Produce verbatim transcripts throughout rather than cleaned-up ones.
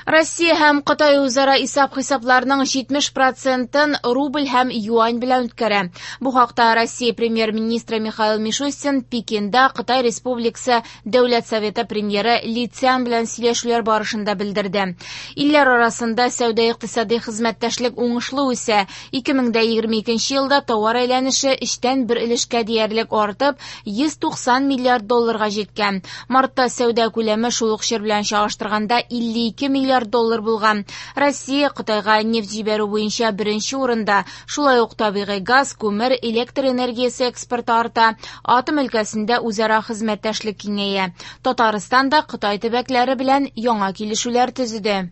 Россия һәм Кытай үзара исәп-хисапларның җитмеш процентын рубль һәм юань белән үткәрә. Бу хакта Россия премьер-министры Михаил Мишустин Пекинда Кытай Республикасы Дәүләт Советы премьеры Ли Цян белән сөйләшүләр барышында белдерде. Илләр арасында сәүдә-икътисади хезмәттәшлек уңышлы үсә. ике мең дә егерме икенче елда товар әйләнеше өчтән бер өлешкә диярлек артып, йөз туксан миллиард долларга җиткән. Мартта сәүдә күләме шул ук чор белән чагыштырганда илле ике миллиард доллар булган. Россия Кытайга нефть җибәрү буенча беренче урында. Шулай ук табигый газ, күмер, электр энергиясе экспорты арта. Атом өлкәсендә үзара хезмәттәшлек киңәя. Татарстан да Кытай төбәкләре белән яңа килешүләр төзеде.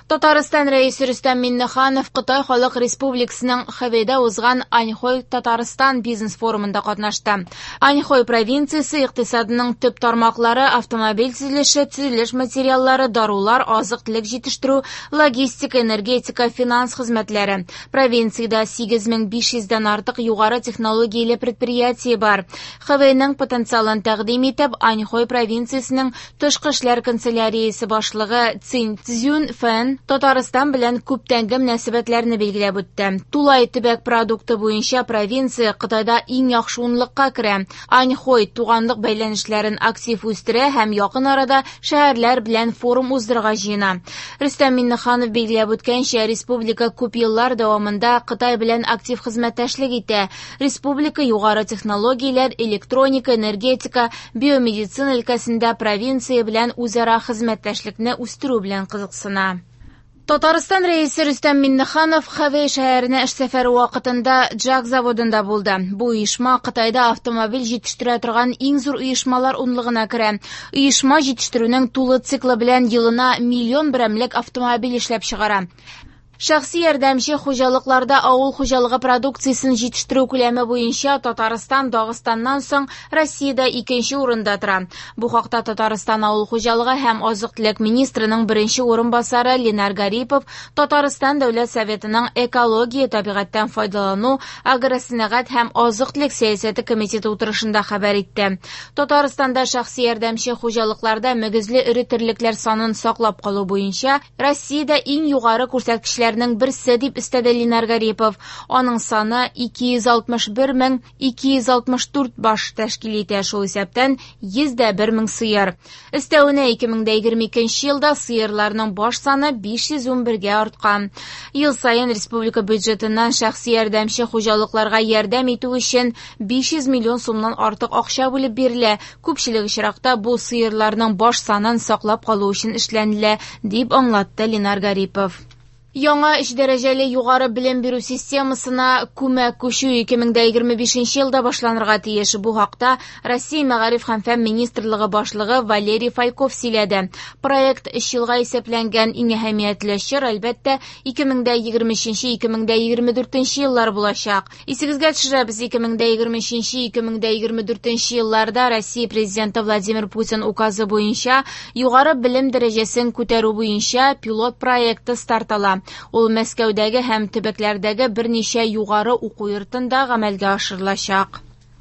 Татарстан Рәисе Рөстәм Миңнеханов Кытай Халык Республикасының Хэбэйдә узган Аньхой Татарстан бизнес-форумында катнашты. Аньхой провинциясе икътисадының төп тармаклары автомобиль төзелеше, төзелеш материаллары, дарулар, азык-төлек җитештерү, логистика, энергетика, финанс хезмәтләре. Провинциядә сигез мең биш йөздән артык югары технологияле предприятие бар. Хэбэйнең потенциалын тәкъдим итеп, Аньхой провинциясенең тышкы эшләр канцеляриясе башлыгы Цинь Цзюн Фэн Татарстан белән күптәнге мөнәсәбәтләрне билгеләп үтте. Тулай төбәк продукты буенча провинция Кытайда иң яхшы унлыкка керә. Аньхой туганлык бәйләнешләрен актив үстерә һәм якын арада шәһәрләр белән форум уздырырга җыена. Рөстәм Миңнеханов билгеләп үткәнчә, республика күп еллар дәвамында Кытай белән актив хезмәттәшлек итә. Республика югары технологияләр, электроника, энергетика, биомедицина өлкәсендә провинция белән үзара хезмәттәшлекне үстерү белән кызыксына. Татарстан Рәисе Рөстәм Миңнеханов Хэбэй шәһәренә эш сәфәре вакытында Джак заводында булды. Бу оешма Кытайда автомобиль җитештерә торган иң зур оешмалар унлыгына керә. Оешма җитештерүнең тулы циклы белән елына миллион берәмлек автомобиль эшләп чыгара. Шәхси ярдәмче хуҗалыкларда авыл хуҗалыгы продукциясен җитештерү күләме буенча Татарстан Дагыстаннан соң Россиядә икенче урында тора. Бу хакта Татарстан авыл хуҗалыгы һәм азык-төлек министрының беренче урынбасары Ленар Гарипов Татарстан Дәүләт Советының экология, табигатьтән файдалану, агросәнәгать һәм азык-төлек сәясәте комитеты утырышында хәбәр итте. Татарстанда шәхси ярдәмче хуҗалыкларда мөгезле эре терлекләр санын саклап калу буенча Россиядә иң югары күрсәткечләр берсе дип өстәде Ленар Гарипов. Аның саны ике йөз алтмыш бер мең ике йөз алтмыш дүрт баш тәшкил итә, шул исәптән йөз дә бер мең сыер. Өстәвенә ике мең дә егерме икенче елда сыерларның баш саны биш йөз ун бергә арткан. Ел саен республика бюджетыннан шәхси ярдәмче хуҗалыкларга ярдәм итү өчен биш йөз миллион сумнан артык акча бүлеп бирелә. Күпчелек очракта бу сыерларның баш санын саклап калу өчен эшләнелә, дип аңлатты Ленар Гарипов. Яңа өч дәрәҗәле югары белем бирү системасына күмәк күчү ике мең дә егерме бишенче елда башланырга тиеш. Бу хакта Россия Мәгариф һәм фән министрлыгы башлыгы Валерий Фальков сөйләде. Проект өч елга исәпләнгән, иң әһәмиятле чор, әлбәттә, ике мең дә егерме өченче, ике мең дә егерме дүртенче еллар булачак. Исегезгә төшерәбез, ике мең дә егерме өченче, ике мең дә егерме дүртенче елларда Россия Президенты Владимир Путин указы буенча югары белем дәрәҗәсен күтәрү буенча пилот проекты старт ала. Ул Мәскәүдәге һәм төбәкләрдәге берничә югары уку йортында гамәлгә ашырылачак.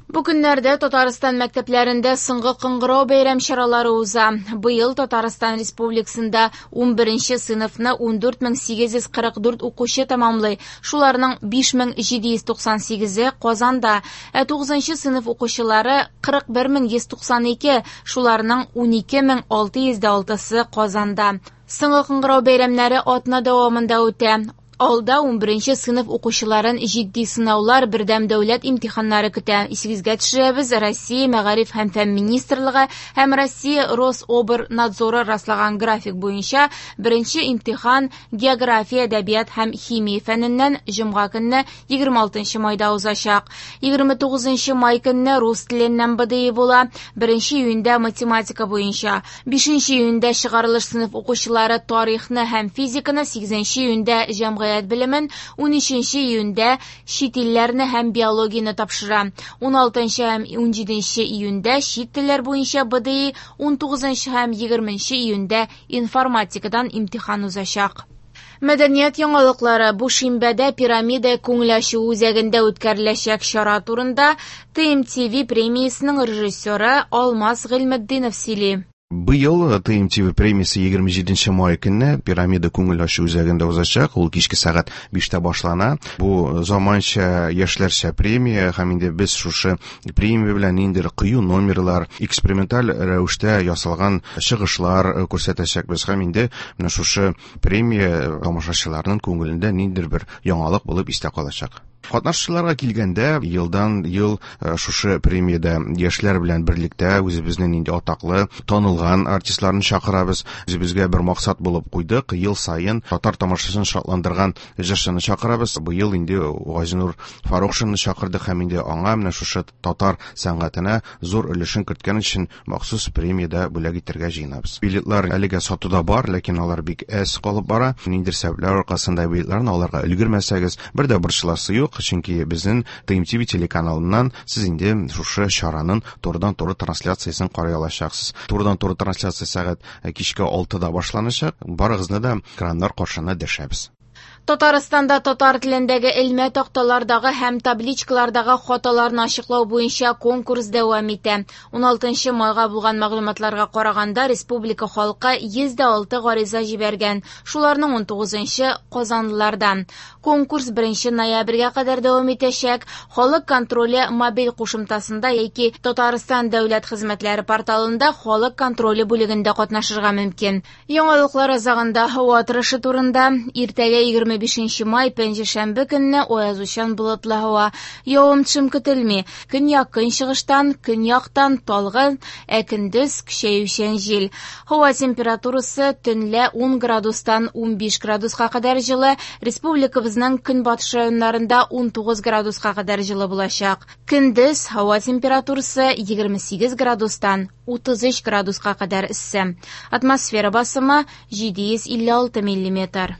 Бу көннәрдә Татарстан мәктәпләрендә соңгы кыңгырау бәйрәм чаралары уза. Быел Татарстан Республикасында ун беренче сыйныфны ун дүрт мең сигез йөз кырык дүрт укучы тәмамлый. Шуларның биш мең җиде йөз туксан сигезе Казанда, ә тугызынчы сыйныф укучылары кырык бер мең йөз туксан ике, шуларның ун ике мең алты йөз дә алтысы Казанда. Соңгы кыңгырау бәйрәмнәре атна дәвамында үтә. Алда ун беренче сыйныф укучыларын җитди сынаулар, бердәм дәүләт имтиханнары көтә. Исегезгә төшерәбез, Россия Мәгариф һәм фән министрлыгы һәм Россия Рособрнадзоры раслаган график буенча беренче имтихан география, әдәбият һәм химия фәненнән җомга көнне егерме алтынчы майда узачак. Егерме тугызынчы май көнне рус теленнән Б Д И була, беренче июньдә математика буенча, бишенче июньдә чыгарылыш сыйныф укучылары тарихны һәм физиканы, сигезенче июньдә җәмгыять белемен, ун өченче июньдә чит илләрне һәм биологияне тапшыра. Ун алтынчы һәм ун җиденче июньдә чит телләр буенча Б Д И, ун тугызынчы һәм егерменче июньдә информатикадан имтихан узачак. Мәдәният яңалыклары бу шимбәдә Пирамида күңел ачу үзәгендә үткәреләчәк чара турында Т М Т В премиясенең режиссеры Алмаз Гыйльметдинов сөйли. Быел Т М T V премиясе егерме җиденче май көнне Пирамида күңел ачу үзәгендә узачак. Ул кичке сәгать биштә башлана. Бу заманча, яшьләрчә премия, һәм инде без шушы премия белән ниндидер кыю номерлар, эксперименталь рәвештә ясалган чыгышлар күрсәтәчәкбез, һәм инде менә шушы премия тамашачыларның күңелендә ниндидер бер яңалык булып истә калачак. Катнашучыларга килгәндә, елдан ел шушы премиядә яшьләр белән берлектә үзебезнең инде атаклы, танылган артистларны чакырабыз. Үзебезгә бер максат булып куйдык: ел саен татар тамашачысын шатландырган җырчыны чакырабыз. Быел инде Газинур Фарукшинны чакырдык, һәм инде аңа менә шушы татар сәнгатенә зур өлешен керткән өчен махсус премия дә бүләк итәргә җыенабыз. Билетлар әлегә сатуда бар, ләкин алар бик әз калып бара. Ниндидер сәбәпләр аркасында билетларны алырга өлгермәсәгез, бер дә борчыласы юк, чөнки безнең Т М T V телеканалыннан сез инде шушы чараның турыдан-туры трансляциясен карый алачаксыз. Турыдан-туры трансляция сәгать кичке алтыда башланачак. Барыгызны да экраннар каршына дәшәбез. Татарстанда татар телендәге элмә такталардагы һәм табличкалардагы хаталарны ачыклау буенча конкурс дәвам итә. Уналтынчы майга булган мәгълүматларга караганда, республика халкы йөз дә алты гариза җибәргән. Шуларның унтугызынчы казанлылардан. Конкурс беренче ноябрьгә кадәр дәвам итәчәк. Халык контроле мобиль кушымтасында яки Татарстан дәүләт хезмәтләре порталында халык контроле бүлегендә катнашырга мөмкин. Яңалыклар азагында һава торышы турында. Иртәгә, егерме бишенче май, пәнҗешәмбе көнне аязучан болытлы һава. Явым-төшем көтелми. Көньяк-көнчыгыштан, көньяктан талгын, ә көндез көчәючән җил. Һава температурасы төнлә ун градустан унбиш градуска кадәр җылы, республикабызның көнбатыш районнарында унтугыз градуска кадәр җылы булачак. Көндез һава температурасы егерме сигез градустан утыз өч градуска кадәр эссе. Атмосфера басымы җиде йөз илле алты миллиметр.